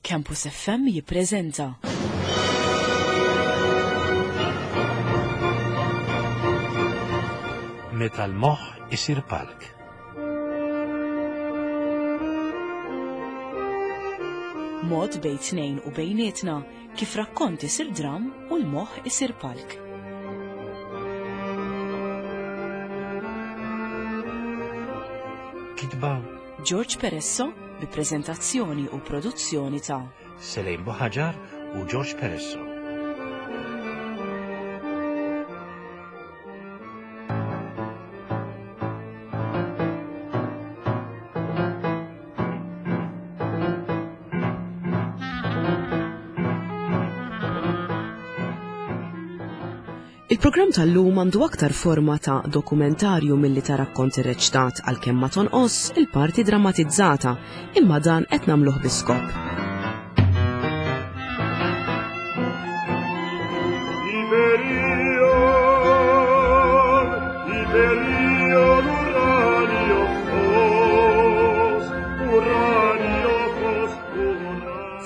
Campus FM jippreżenta. Meta l-moħħ isir palk. Mod bejn tnejn u bejnietna kif rakkont isir dram u l-moħħ isir palk. Kitba George Peresso bi preżentazzjoni u produzzjoni ta' Selejn Buħaġar u George Peresso. Il-programm tal-lum għandu aktar forma ta' dokumentarju milli ta' rakkont irreċtat għalkemm ma tonqos il-parti drammatizzata, imma dan qed nagħmluh bi skop.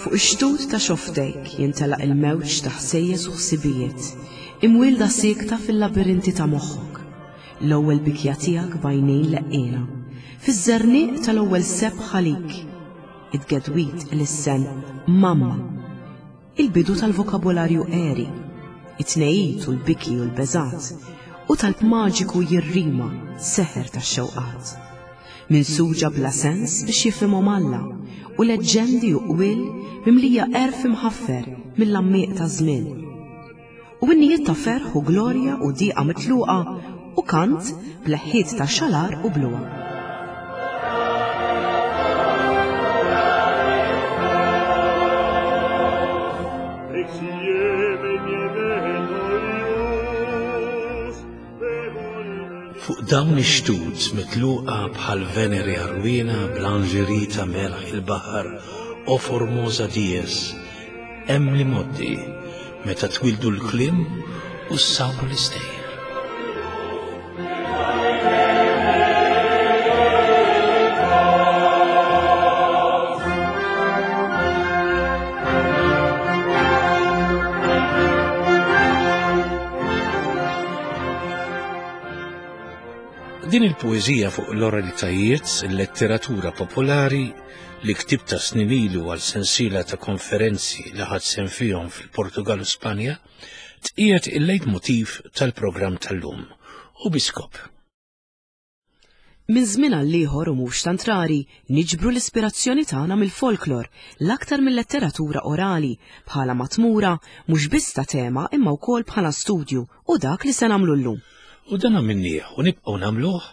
Fuq ix-xtut ta' xofftejk jintelaq il-mewġ ta' ħsejjes u ħsibijiet, imwielda siekta fil-labirinti ta' moħħok. L-ewwel bikja tiegħek b'għajnejn leqqiena, fiż-żerniq tal-ewwel sebħ għalik. It-tgedwid ilissen mamma. Il-bidu tal-vokabolarju għeri, it-tnehid u l-biki u l-beżgħat, u talb maġiku jirrima seħer tax-xewqat. Minsuġa bla sens biex jifhimhom Alla, u leġġendi u qwiel mimlija għerf imħaffer mill-għammieq taż-żmien. U innijiet ta' ferħ u glorja u diqa mitluqa u kant b'leħħiet ta' xalar u bluha. Fuq dawn ix-xtut mitluqa bħal Venere għarwiena b'lingerie ta' melħ il-baħar o Formosa Dies, Hemm l-imgħoddi, meta twieldu l-kliem u ssawru l-istejjer. Din il-poeżija fuq l-oralitajiet, il-letteratura popolari, li ktibtha snin ilu għal sensiela ta' konferenzi li ħadt sehem fihom fil-Portugal u Spanja, tqiegħed il-leitmotiv tal-programm tal-lum u bi skop. Minn żmien għal ieħor u mhux tant rari, niġbru l-ispirazzjoni tagħna mill-folklor, l-aktar mil-letteratura orali, bħala matmura mhux biss ta' tema imma wkoll bħala studju u dak li se nagħmlu llum. U dan għamilnieh u nibqgħu nagħmluh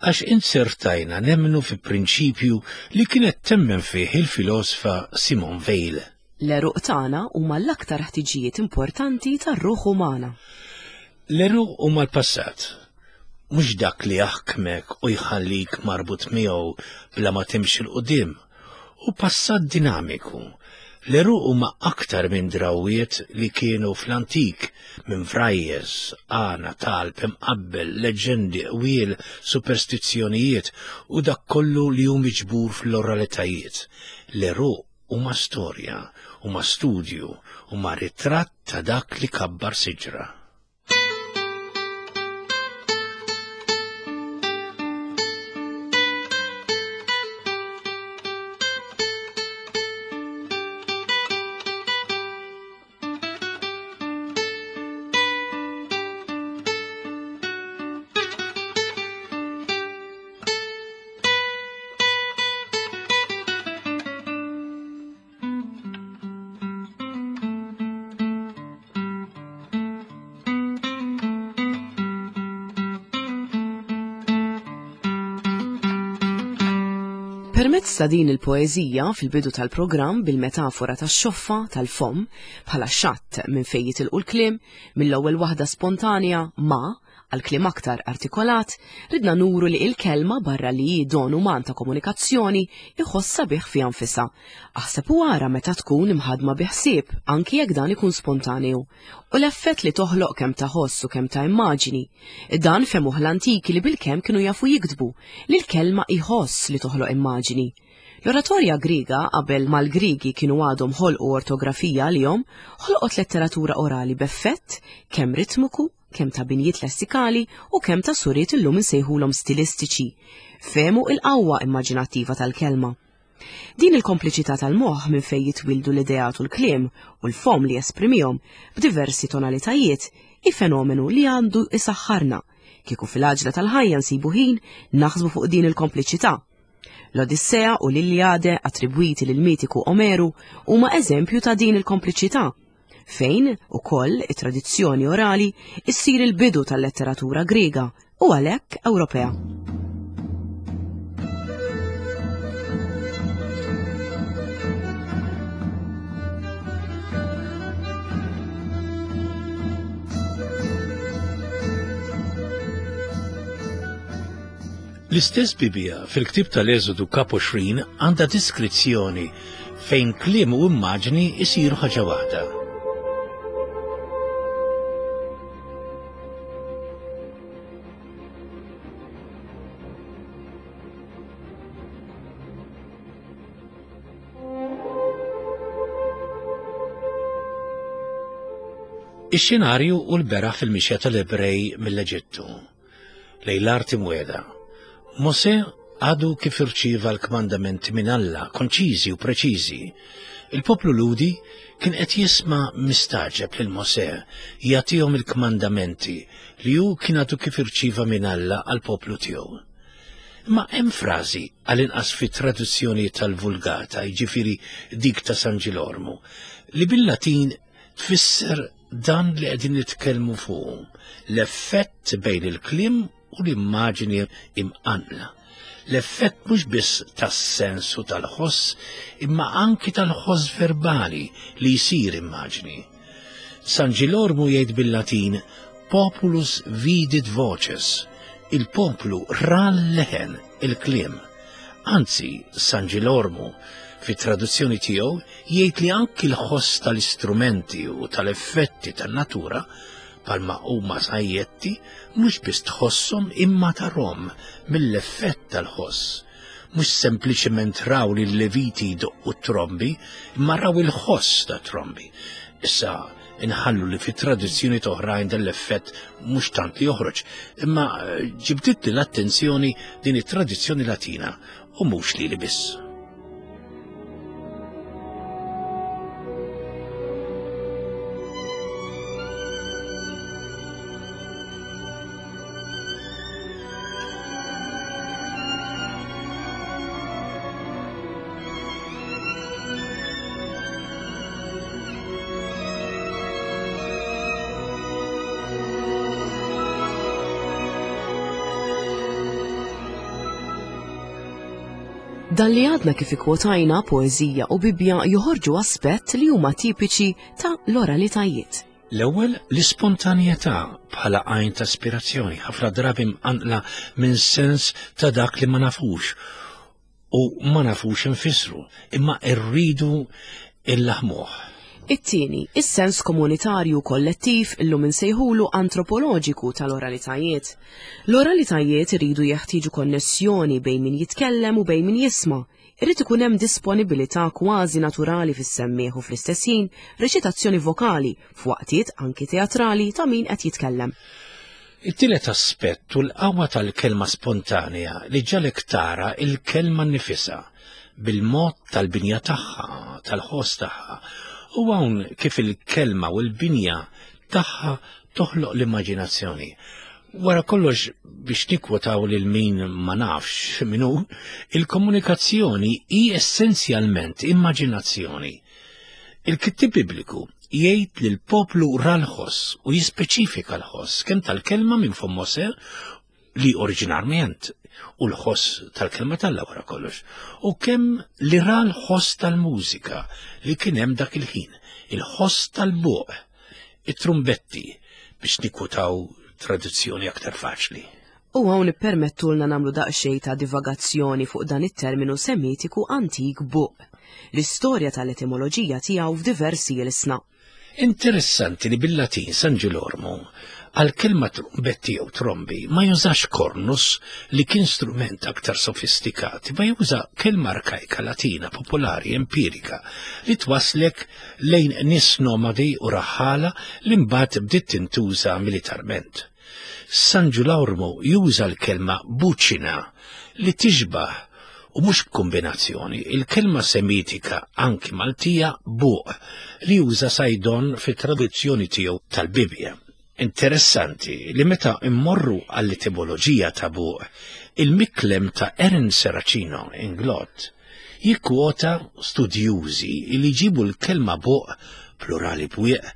għax inzertajna nemmnu fi prinċipju li kienet temmen fih il-filosfa Simone Weil. L-għeruq tagħna huma l-aktar ħtiġijiet importanti tar-ruħ umana. L-għeruq huma l-passat, mhux dak li jaħkmek u jħallik marbut miegħu bla ma timxi 'l quddiem. Hu passat dinamiku. L-għeruq huma aktar minn drawwiet li kienu fl-antik, minn vrajjes, għana, talb, imqabbel, leġġendi, qwiel, superstizzjonijiet u dak kollu li hu miġbur fl-oralitajiet. L-għeruq huma storja, huma studju, huma ritratt ta' dak li kabbar siġra. Permezz ta' din il-poeżija fil-bidu tal-programm bil-metafora tax-xoffa tal-fomm bħala xatt minn fejn jitilqu l-kliem, mill-ewwel waħda spontanja ma għal kliem aktar artikolat, ridna nuru li il-kelma barra li hi don uman ta' komunikazzjoni iħoss sabiħ fiha nfisha. Aħseb u ara meta tkun imħaddma bi ħsieb, anki jekk dan ikun spontaneu. U l-effett li toħloq kemm ta' ħoss u kemm ta' immaġini. Dan fehmuh l-antiki li bilkemm kienu jafu jiktbu, li l-kelma hi ħoss li toħloq immaġini. L-oratorja Griega, qabel ma l-Griegi kienu għadhom ħolqu ortografija għalihom, ħolqot letteratura orali b'effett kemm ritmiku, kemm ta' binjiet lessikali u kemm ta' suriet illum insejħulhom stilistiċi. Fehmu il-qawwa immaġinattiva tal-kelma. Din il-kompliċità tal-moħħ minn fejn jitwieldu l-ideat u l-kliem u l-fomm li jesprimihom b'diversi tonalitajiet hi fenomenu li għandu isaħħarna kieku fil-għaġla tal-ħajja nsibu ħin naħsbu fuq din il-kompliċità. L-Odissea u l-Iliade attribwiti lil mitiku Omeru huma eżempju ta' din il-kompliċità fejn ukoll it-tradizzjoni orali issir il-bidu tal-letteratura Griega u għalhekk Ewropea. L-istess Bibbja fil-ktieb tal-Eżodu kap 20 għandha diskrizzjoni fejn kliem u immaġni jsiru ħaġa waħda. Ix-xenarju u l-beraħ fil-mixja tal-Ebrej mill-Eġittu. lejn l-art imwiegħda. Mosè għadu kif irċieva l-kmandamenti minn Alla, konċiżi u preċiżi. Il-poplu Lhudi kien qed jisma' mistagħġeb lil Mosè jagħtihom il-kmandamenti li hu kien għadu kif irċieva minn Alla għall-poplu tiegħu. Imma hemm frażi, għall-inqas fit-traduzzjoni tal-Vulgata, jiġifieri dik ta' San Ġilormu, li bil-Latin tfisser dan li qegħdin nitkellmu fuqu, l-effett bejn il-kliem u l-immaġini imqanqla. L-effett mhux biss tas-sens u tal-ħoss, imma anki tal-ħoss verbali li jsir immaġni. San Ġilormu jgħid bil-Latin populus vidit voces, il-poplu ra l-leħen, il-kliem. Anzi, San Ġilormu, fit-traduzzjoni tiegħu, jgħid li anki l-ħoss tal-istrumenti u tal-effetti tan-natura palma huma sajjetti mhux biss tħosshom imma tarhom mill-effett tal-ħoss. Mhux sempliċement raw li l-leviti jdoqqu t-trombi, imma raw il-ħoss ta' trombi. Issa inħallu li fit tradizzjoni oħrajn dan l-effett mhux tant li joħroġ, imma eh, ġibditli l-attenzjoni din it-tradizzjoni Latina u mhux lili biss. Dan li għadna kif ikkwotajna poeżija u Bibbja joħorġu aspett li huma tipiċi ta' l-oralitajiet. L-ewwel l-ispontanjetà bħala għajn ta' ispirazzjoni, ħafna drabi mqanqla minn sens ta' dak li ma nafux u ma nafux infissru, imma rridu illaħmuh. It-tieni, is-sens komunitarju kollettiv illum insejħulu antropoloġiku tal-oralitajiet. L-oralitajiet iridu jeħtieġu konnessjoni bejn min jitkellem u bejn min jisma'. Irid ikun hemm disponibilità kważi naturali fis-semmiegħ u fl-istess ħin reċitazzjoni vokali f'waqtiet anki teatrali ta' min qed jitkellem. It-tielet aspett hu l-qawwa tal-kelma spontanea li ġġagħlek tara l-kelma nnifisha, bil-mod tal-binja tagħha, tal-ħoss tagħha. U hawn kif il-kelma u l-binja tagħha toħloq l-immaġinazzjoni. Wara kollox biex nikkwotaw lil min ma nafx min hu, il-komunikazzjoni hi essenzjalment immaġinazzjoni. Il-kittieb Bibliku jgħid li l-poplu ra l-ħoss u jispeċifika l-ħoss kemm tal-kelma minn fomm Mosè li oriġinarment u l-ħoss tal-kelma t'Alla wara kollox, u kemm li ra l-ħoss tal-mużika li kien hemm dak il-ħin, il-ħoss tal-buq, it-trumbetti biex nikwotaw traduzzjoni aktar faċli. U hawn ippermettulna nagħmlu daqsxejn ta' divagazzjoni fuq dan it-terminu Semitiku antik buq, l-istorja tal-etimoloġija tiegħu f'diversi ilsna. Interessanti li bil-Latin San Ġilormu għal kelma trumbetti jew trombi ma jużax cornus li kien strument aktar sofistikat, ma juża kelma arkajka Latina popolari empirika li twaslek lejn nies nomadi u raħħala li mbagħad bdiet tintuża militarment. San Ġulormu juża l-kelma buċina li tixbah u mhux b'kumbinazzjoni, il-kelma Semitika anki Maltija buq li juża Saydon fit-traduzzjoni tiegħu tal-Bibbja. Interessanti li meta immorru għall-etimoloġija ta' buq, il-miklem ta' Erin Serracino Inglott jikkwota studjużi li jġibu l-kelma buq, plurali bwieq,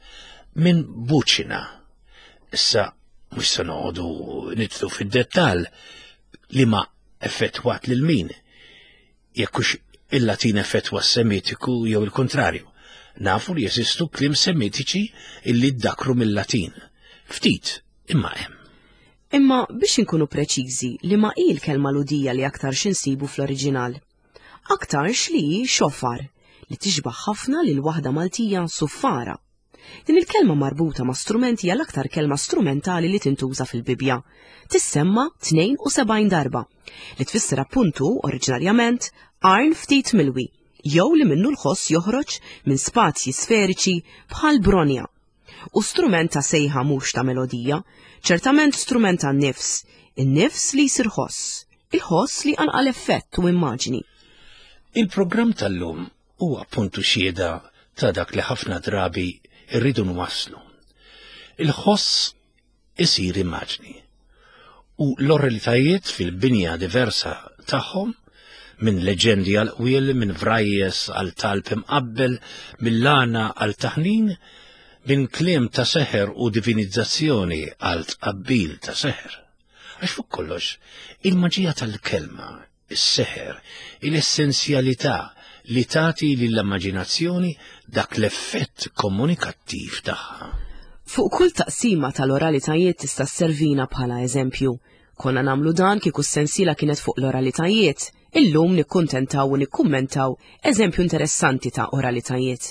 minn buċina. Issa mhux se noqogħdu nidħlu fid-dettall li ma effettwat lil min, jekk hux il-Latin effettwa s-Semitiku jew il-kuntrarju. Nafu li jeżistu kliem Semitiċi illi ddakru mill-Latin. Ftit, imma hemm. Imma biex inkunu preċiżi, liema hi l-kelma Lhudija li aktarx insibu fl-oriġinal? Aktarx li hi xofar, li tixbah ħafna lil waħda Maltija suffara. Din il-kelma marbuta ma' strument hija l-aktar kelma strumentali li tintuża fil-Bibbja. Tissemma 72 darba, li tfisser appuntu, oriġinarjament, qarn ftit milwi, jew li minnu l-ħoss joħroġ minn spazji sferiċi bħal bronja. U strument ta' sejħa mhux ta' melodija, ċertament strument tan-nifs, in-nifs li jsir ħoss, il-ħoss li jqanqal effett u immaġni. Il-programm tal-lum Huwa appuntu xhieda ta' dak li ħafna drabi rridu nwasslu. Il-ħoss isir immaġni u l-oralitajiet fil-binja diversa tagħhom minn leġendi għal qwiel, minn vrajjes għal talb imqabbel, mill-għana għal taħnin, minn kliem ta' seħer u divinizzazzjoni għal tqabbil ta' seħer. Għax fuq kollox, il-maġija tal-kelma is-seħer, il-essenzjalità li tagħti lill-immaġinazzjoni dak l-effett komunikattiv tagħha. Fuq kull taqsima tal-oralitajiet tista' sservina bħala eżempju. Konna nagħmlu dan kieku s-sensiela kienet fuq l-oralitajiet, illum nikkuntentaw u nikkummentaw eżempju interessanti ta' oralitajiet.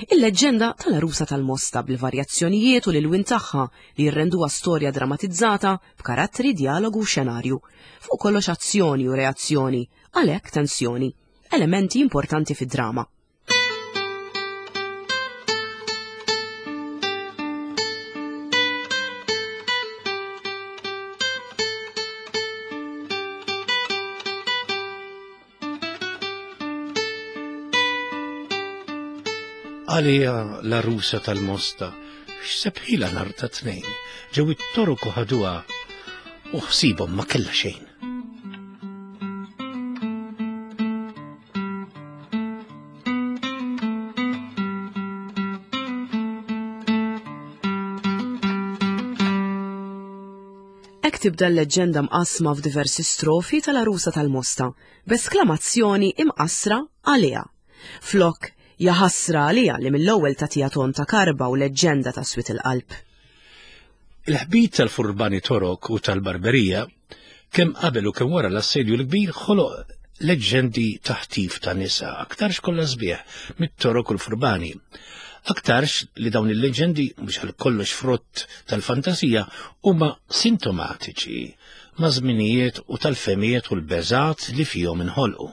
Il-leġġenda tal-għarusa tal-Mosta bil-varjazzjonijiet u l-ilwien tagħha li jirrenduha storja dramatizzata b'karattri, djalogu u xenarju. Fuq kollox azzjoni u reazzjoni, għalhekk tensjoni. Elementi importanti fid-drama. Għalija l-arusa tal-mosta, x'sebħila nar ta' tnejn, ġew it-torok u ħaduha u ħsibhom ma kellha xejn. Hekk tibda l-leġġenda mqassma f'diversi strofi tal-għarusa tal-Mosta, b'esklamazzjoni imqassra għaliha. Flok, jaħasra għaliha li mill-ewwel tagħtiha ton ta' karba u leġġenda ta' swied il-qalb. Il-ħbit tal-furbani Torok u tal-Barberija, kemm qabel u kemm wara l-Assedju l-Kbir ħoloq leġġendi ta' ħtif ta' nisa, aktarx kollha sbieħ, mit-Torok u l-furbani. Aktarx li dawn il-leġġendi mhux għal kollox frott tal-fantasija huma sintomatiċi ma' żminijiet u tal-fehmiet u l-beżgħat li fihom inħolqu.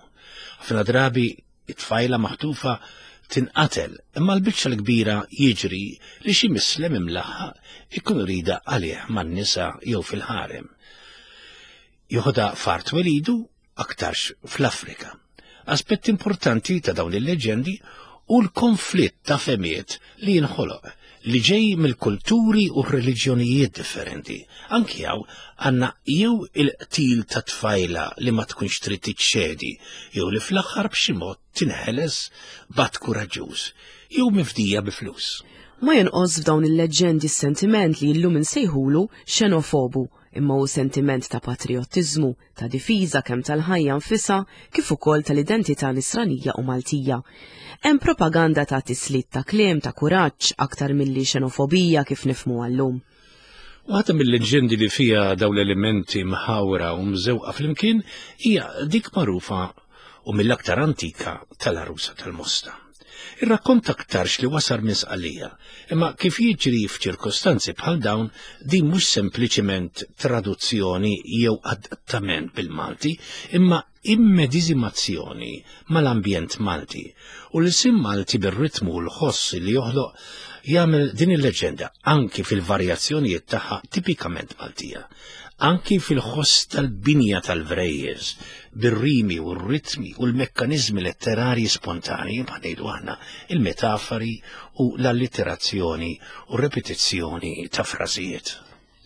Ħafna drabi it-tfajla maħtufa tinqatel, imma l-biċċa l-kbira jiġri li xi mislem imlaħħaq ikun rida għalih man-nisa jew fil-ħarem. Joħodha f'art twelidu aktarx fl-Afrika. Aspett importanti ta' dawn il-leġendi hu l-konflitt ta' fehmiet li jinħoloq li ġej mill-kulturi u reliġjonijiet differenti. Anki hawn għandna jew il-qtil ta' tfajla li ma tkunx trid tiċċedi jew li fl-aħħar b'xi mod tinħeles b'att kuraġġuż jew mifdija bi flus. Ma jonqos f'dawn il-leġġendi s-sentiment li llum insejħulu xenofobu, imma hu sentiment ta' patrijottiżmu, ta' difiża kemm tal-ħajja nfisha kif ukoll tal-identità nisranija u Maltija. Hemm propaganda ta' tislit ta' kliem ta' kuraġġ aktar milli xenofobija kif nifhmuha llum. Waħda mill-leġġendi li fiha dawn l-elementi mħawra u mżewqa flimkien hija dik magħrufa u mill-aktar antika tal-għarusa tal-Mosta. Ir-rakkont aktarx li wasal minn Sqallija, imma kif jiġri f'ċirkostanzi bħal dawn din mhux sempliċiment traduzzjoni jew adattament bil-Malti, imma immediżimazzjoni mal-ambjent Malti u l-isim Malti bir-ritmu u l-ħoss li joħloq jagħmel din il-leġenda anki fil-varjazzjonijiet tagħha tipikament Maltija, anki fil-ħoss tal-binja tal-vrejjes, bir-rimi u r-ritmi u l-mekkaniżmi letterarji spontanji bħal ngħidu aħna il-metafori u l-allitterazzjoni u r-repetizzjoni ta' frażijiet.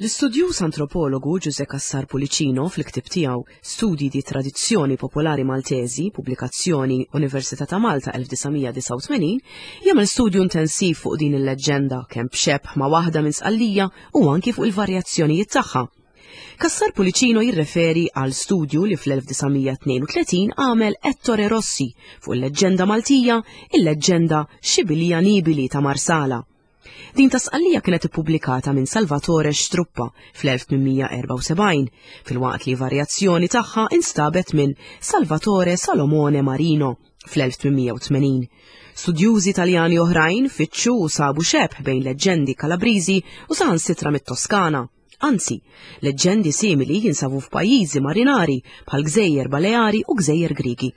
L-istudjuż antropologu Ġużè Cassar Pullicino fil-ktieb tiegħu Studi di Tradizioni Popolari Maltesi, pubblikazzjoni Università ta' Malta 1989, jagħmel studju intensiv fuq din il-leġġenda kemm b'xebh ma' waħda minn Sqallija u anki fuq il-varjazzjonijiet tagħha. Cassar Pullicino jirreferi għal studju li fl-1932 għamel Ettore Rossi fuq il-leġġenda Maltija, il-leġġenda Xibilija Nibili ta' Marsala. Din ta' Sqallija kienet ippubblikata minn Salvatore Struppa fl-1874, filwaqt li varjazzjoni tagħha instabet minn Salvatore Salomone Marino fl-1880. Studjużi Taljani oħrajn fittxu u sabu xebh bejn leġġendi Kalabriżi u saħansitra mit-Toskana. Anzi, leġġendi simili jinsabu f'pajjiżi marinari bħal Gżejjer Baleari u Gżejjer Griegi.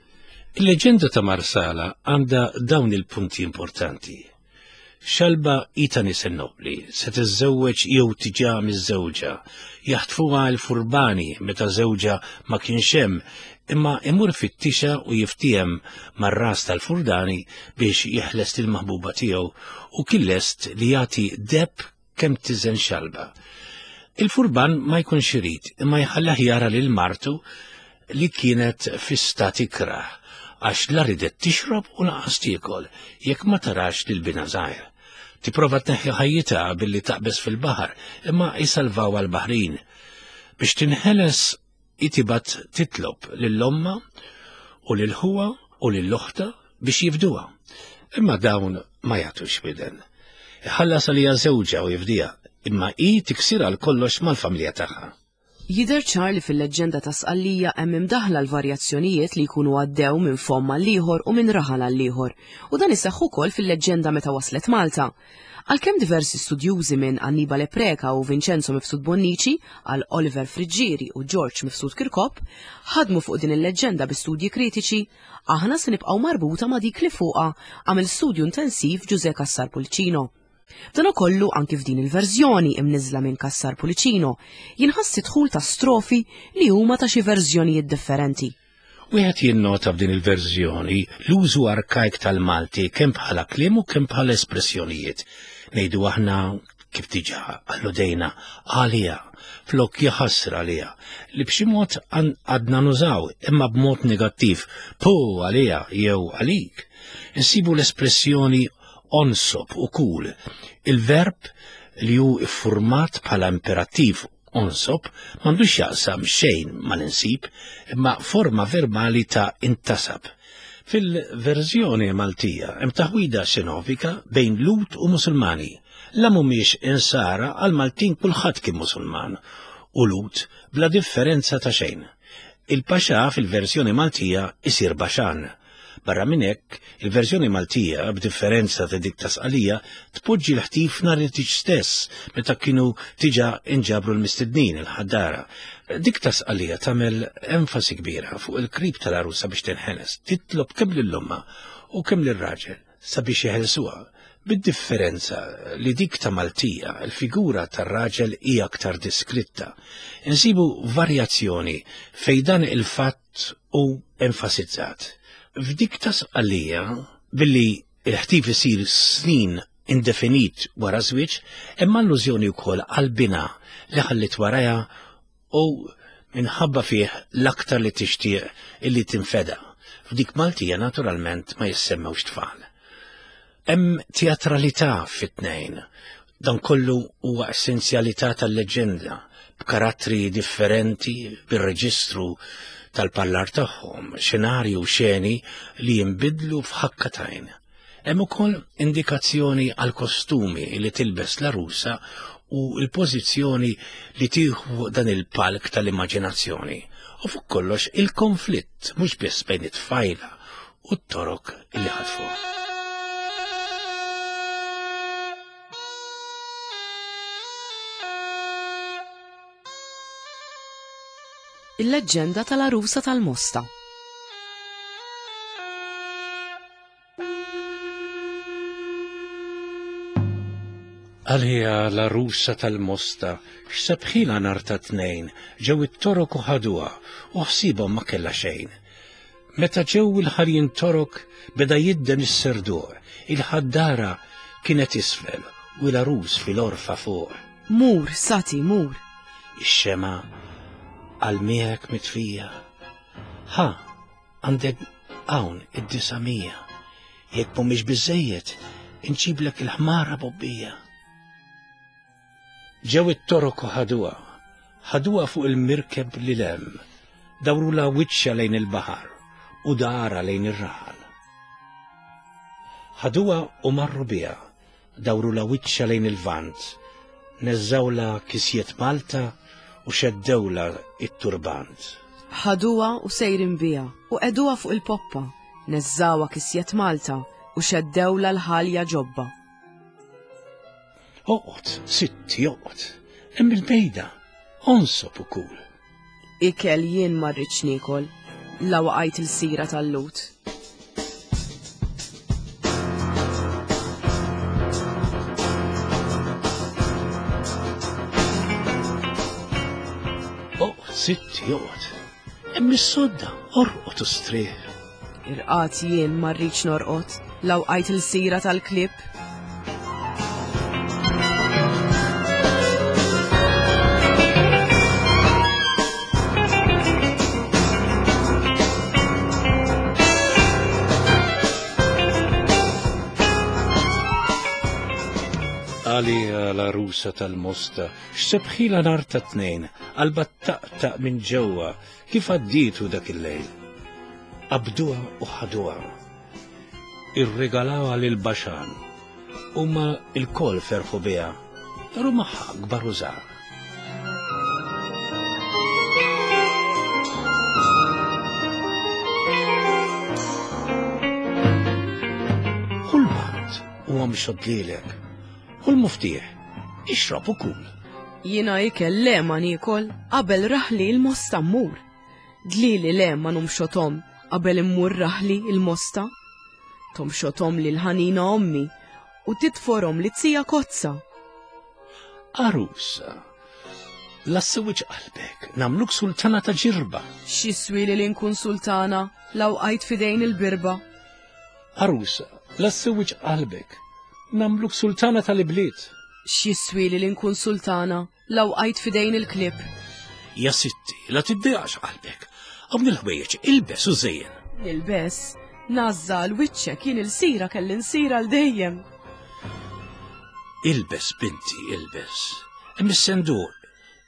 Il-leġġenda ta' Marsala għandha dawn il-punti importanti. Xalba hi ta' nisel nobbli, se tiżżewweġ jew tiġà miżżewġa. Jaħtfuha l-furbani meta żewġha ma kienx hemm, imma imur ifittixha u jiftiehem mar-ras tal-furdani biex jeħles lill-maħbuba tiegħu u kien lest li jagħti deheb kemm tiżen xalba. Il-furban ma jkunx irid imma jħallih jara lil martu li kienet fi stat ikrah għax la ridet tixrob u lanqas tiekol jekk ma tarax lil binha żgħir. Tipprova tneħħi ħajjitha billi taqbeż fil-baħar imma jsalvawha l-baħrin. Biex tinħeles Hi tibgħat titlob lil ommha u lil ħuha u lil oħtha biex jifduha. Imma dawn ma jagħtux widen. Iħallas għaliha żewġha u jifdiha, imma hi tiksir għal kollox mal-familja tagħha. Jidher ċar li fil-leġġenda ta' Sqallija hemm imdaħħla l-varjazzjonijiet li jkunu għaddew minn fomm għall-ieħor u minn raħal għall-ieħor, u dan iseħħ ukoll fil-leġġenda meta waslet Malta. Għalkemm diversi studjużi minn Annibale Preca u Vincenzo Mifsud Bonnici għal Oliver Friggieri u George Mifsud Kirkop ħadmu fuq din il-leġġenda bi studji kritiċi, aħna se nibqgħu marbuta ma' dik li fuqha għamel studju intensiv Ġużè Cassar Pullicino. B'danakollu anki f'din il-verżjoni imniżżla minn Cassar Pullicino jinħass id-dħul ta' strofi li huma ta' xi verżjonijiet differenti. Wieħed jinnota f'din il-verżjoni l-użu arkajk tal-Malti kemm bħala kliem u kemm bħala espressjonijiet. Ngħidu aħna kif diġà alludejna għaliha flok jaħasra għaliha li b'xi mod għadna nużaw imma b'mod negattiv pu għaliha jew għalik. Insibu l-espressjoni onsob u kul, il-verb li hu iffurmat bħala imperattiv Onsob m'għandux x'jaqsam xejn mal-insib, imma forma verbali ta' intasab. Fil-verżjoni Maltija hemm taħwida xenofika bejn Lhud u Musulmani. La mhumiex Insara għall-Maltin kulħadd kien Musulman u Lhud bla differenza ta' xejn. Il-Paxà fil-verżjoni Maltija jsir Baxan. Barra minn hekk, il-verżjoni Maltija, b'differenza ta' dik ta' Sqalija, tpoġġi l-ħtif nhar it-tieġ stess, meta kienu diġà inġabru l-mistednin, il-ħaddara. Dik ta' Sqalija tagħmel enfasi kbira fuq il-krib tal-għarusa biex tinħeles, titlob kemm lil ommha u kemm lir-raġel sabiex jeħelsuha, bid-differenza li dik ta' Maltija, il-figura tar-raġel hi aktar diskritta. Insibu varjazzjoni fejn dan il-fatt hu enfasizzat. F'dik ta' Sqallija, billi l-ħtif isir snin indefinit wara żwieġ, hemm allużjoni wkoll għal binha li ħalliet warajha u minħabba fih l-aktar li tixtieq illi tinfeda. F'dik Maltija naturalment ma jissemmewx tfal. Hemm teatralità fit-tnejn. Dan kollu huwa essenzjalità tal-leġġenda, b'karattri differenti bir-reġistru tal-parlar tagħhom, xenarji u xeni li jinbidlu f'ħakka t'għajn. Hemm ukoll indikazzjoni għall-kostumi li tilbes l-għarusa u l-pożizzjoni li tieħu dan il-palk tal-immaġinazzjoni. U fuq kollox il-konflitt mhux biss bejn it-tfajla u t-torok li ħatfuha. Il-leġġenda tal-għarusa tal-Mosta. Għalija l-għarusa tal-Mosta, x'sebħilha nhar ta' Tnejn, ġew it-Torok u ħaduha, u ħsiebhom ma kellha xejn. Meta ġew il-ħarjin Torok beda jidden is-serduq, il-ħaddara kienet isfel u l-għarus fil-għorfa fuq. Mur, Sati, mur! Ix-xemgħa għal miegħek mitfija. Ħa, għandek hawn id-900. Jekk mhumiex biżżejjed, inġiblek il-ħmara bobbija. Ġew it-Torok u ħaduha, ħaduha fuq il-mirkeb lil hemm, dawrulha wiċċha lejn il-baħar u daharha lejn ir-raħal. Ħaduha u marru biha, dawrulha wiċċha lejn il-Lvant, neżżgħulha kisjiet Malta u xeddewlha t-turbant. Ħaduha u sejrin biha u qegħduha fuq il-poppa, neżżgħuha kisjet Malta u xeddewlha l-ħalja ġobba. Oqgħod, sitti, oqgħod, hemm il-bejda, onsob u kul. Ikel jien ma rridx niekol, la waqajt il-sira tal-lut. Oqgħod, sitti, oqgħod, hemm is-sodda, orqod u strieħ. Irqad jien ma rridx norqod, la wqajt il-sira tal-klieb. Għalija l-għarusa tal-Mosta, x'sebħilha nhar ta' Tnejn, qalbha ttaqtaq minn ġewwa Kif għaddietu dak il-lejl? Qabduha u ħaduha. Irregalawha lil Baxan. Huma lkoll ferħu biha, daru magħha kbar u żgħar. Ħu l-bard u omxod lilek. Ħu l-muftieħ, ixrob u kul. Jiena ikel le ma niekol qabel raħli l-Mosta mmur. Dlieli le ma numxothom qabel immur raħli l-Mosta. Tomxothom li l-ħanina ommi u titforhom li tija kozza. Għarusa, la ssewwiġ qalbek, nagħmluk sultana ta' ġirba. X'jiswieli li nkun sultana la wqajt f'idejn il-birba. Għarusa, la ssewwiġ qalbek, nagħmluk sultana tal-ibliet. X'jiswieli li nkun sultana la wqajt f'idejn il-klieb. Ja sitti, la tiddejaqx qalbek, hawn il-ħwejjeġ ilbes u żejjen. Nilbes, ngħażża għal wiċċek jien ilsira kelli nsir għal dejjem. Ilbes binti, ilbes. Hemm is-senduq,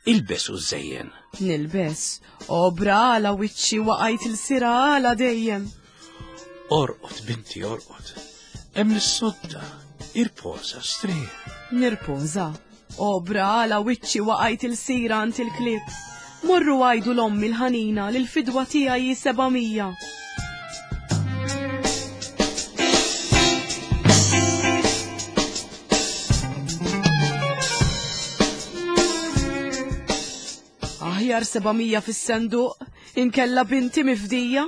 Ilbes u żejjen. Nilbes, obra għala wiċċi waqajt il-sira għala dejjem. Orqod, binti, orqod. Hemm is-sodda, irpoża, strieħ. Nirpoża, obra għala wiċċi waqajt il-sira għand il-klieb. Morru għajdu l-ommi l-ħanina li l-fidwa tiegħi hi 700. Aħjar 700 fis-senduq, inkella binti mifdija.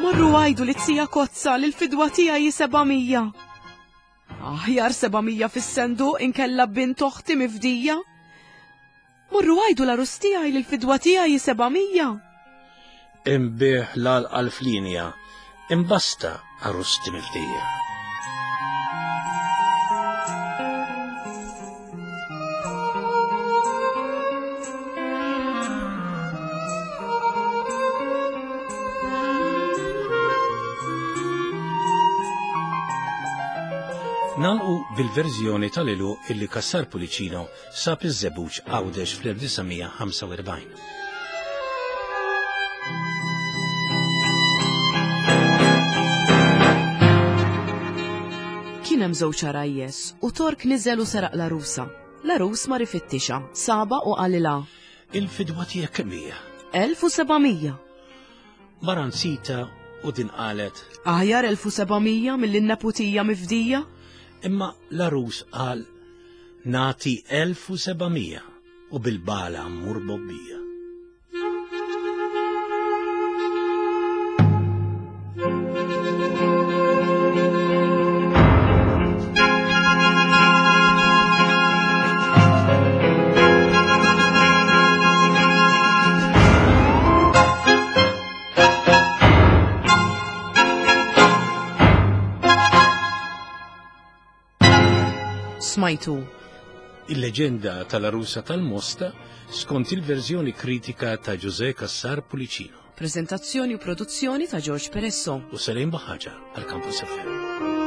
Morru għajdu li tija kozza li l-fidwa tiegħi 700. Aħjar 700 fis-senduq inkella bint oħti mifdija. Morru għidu l-għarus tiegħi li l-fidwa tiegħi hi 700. Inbigħ l-għalqa l-flinja, imbasta għarusti mifdija. Nagħlqu bil-verżjoni tal-ilu illi Cassar Pullicino sab iż-żebbuġ Għawdex fl-1945. Kien hemm żewġ għarajjes u Tork niżel u seraq l-għarusa. L-għarus mar ifittixha, sabha u qalilha. Il-fidwa tiegħek kemm hija? 1700. Mara nsita u din qalet. Aħjar 1700 milli n-neputija mifdija? Imma l-għarus qal nagħti 1700 u bil-bala mmur bobbija. Smajtu. Il-leġenda tal-arusa tal-Mosta skont il-verżjoni kritika ta' Ġużè Cassar Pullicino. Prezentazzjoni u produzzjoni ta' George Peresso. U Salim Baħaġa għal Campus FM.